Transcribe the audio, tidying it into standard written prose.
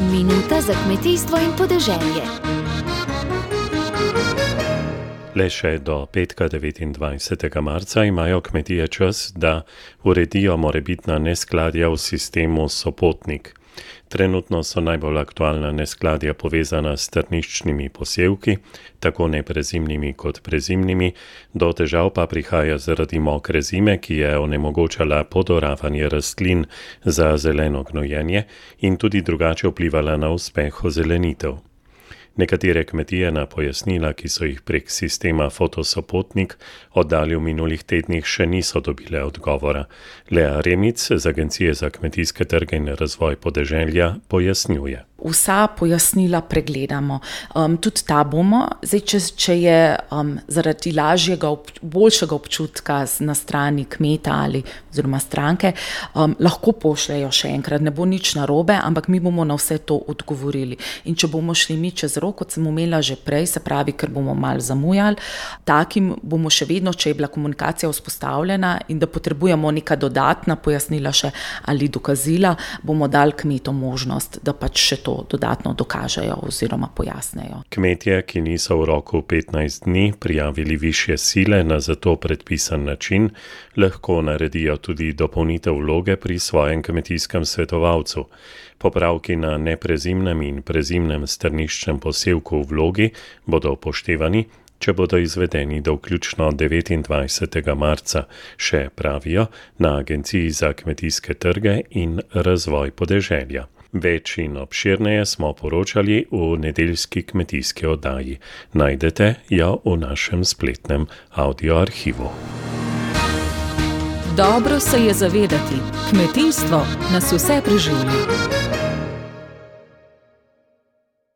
Minuta za kmetijstvo in podeželje. Le še do petka 29. marca imajo kmetije čas, da uredijo morebitna neskladja v sistemu Sopotnik. Trenutno so najbolj aktualna neskladja povezana s trničnimi posevki, tako neprezimnimi kot prezimnimi, do težav pa prihaja zaradi mokre zime, ki je onemogočala podoravanje rastlin za zeleno gnojenje in tudi drugače vplivala na uspeh ozelenitev. Nekatere kmetije na pojasnila, ki so jih prek sistema Fotosopotnik oddali v minulih tednih, še niso dobile odgovora. Lea Remic z Agencije za kmetijske trge in razvoj podeželja pojasnjuje. Vsa pojasnila pregledamo. Tudi ta bomo. Zdaj, če je zaradi boljšega občutka na strani kmeta ali oziroma stranke, lahko pošljejo še enkrat, ne bo nič narobe, ampak mi bomo na vse to odgovorili. In če bomo šli mi čez rok, kot sem omenila že prej, se pravi, ker bomo malo zamujali, takim bomo še vedno, če je bila komunikacija vzpostavljena in da potrebujemo neka dodatna pojasnila še ali dokazila, bomo dali kmetom možnost, da pač še to dodatno dokažejo oziroma pojasnejo. Kmetje, ki niso v roku 15 dni prijavili višje sile na za to predpisan način, lahko naredijo tudi dopolnitev vloge pri svojem kmetijskem svetovalcu. Popravki na neprezimnem in prezimnem strniščnem posevku v vlogi bodo upoštevani, če bodo izvedeni do vključno 29. marca, še pravijo na Agenciji za kmetijske trge in razvoj podeželja. Več in obširneje smo poročali v nedeljski kmetijski oddaji. Najdete jo v našem spletnem audioarhivu. Dobro se je zavedati, kmetijstvo nas vse preživlja.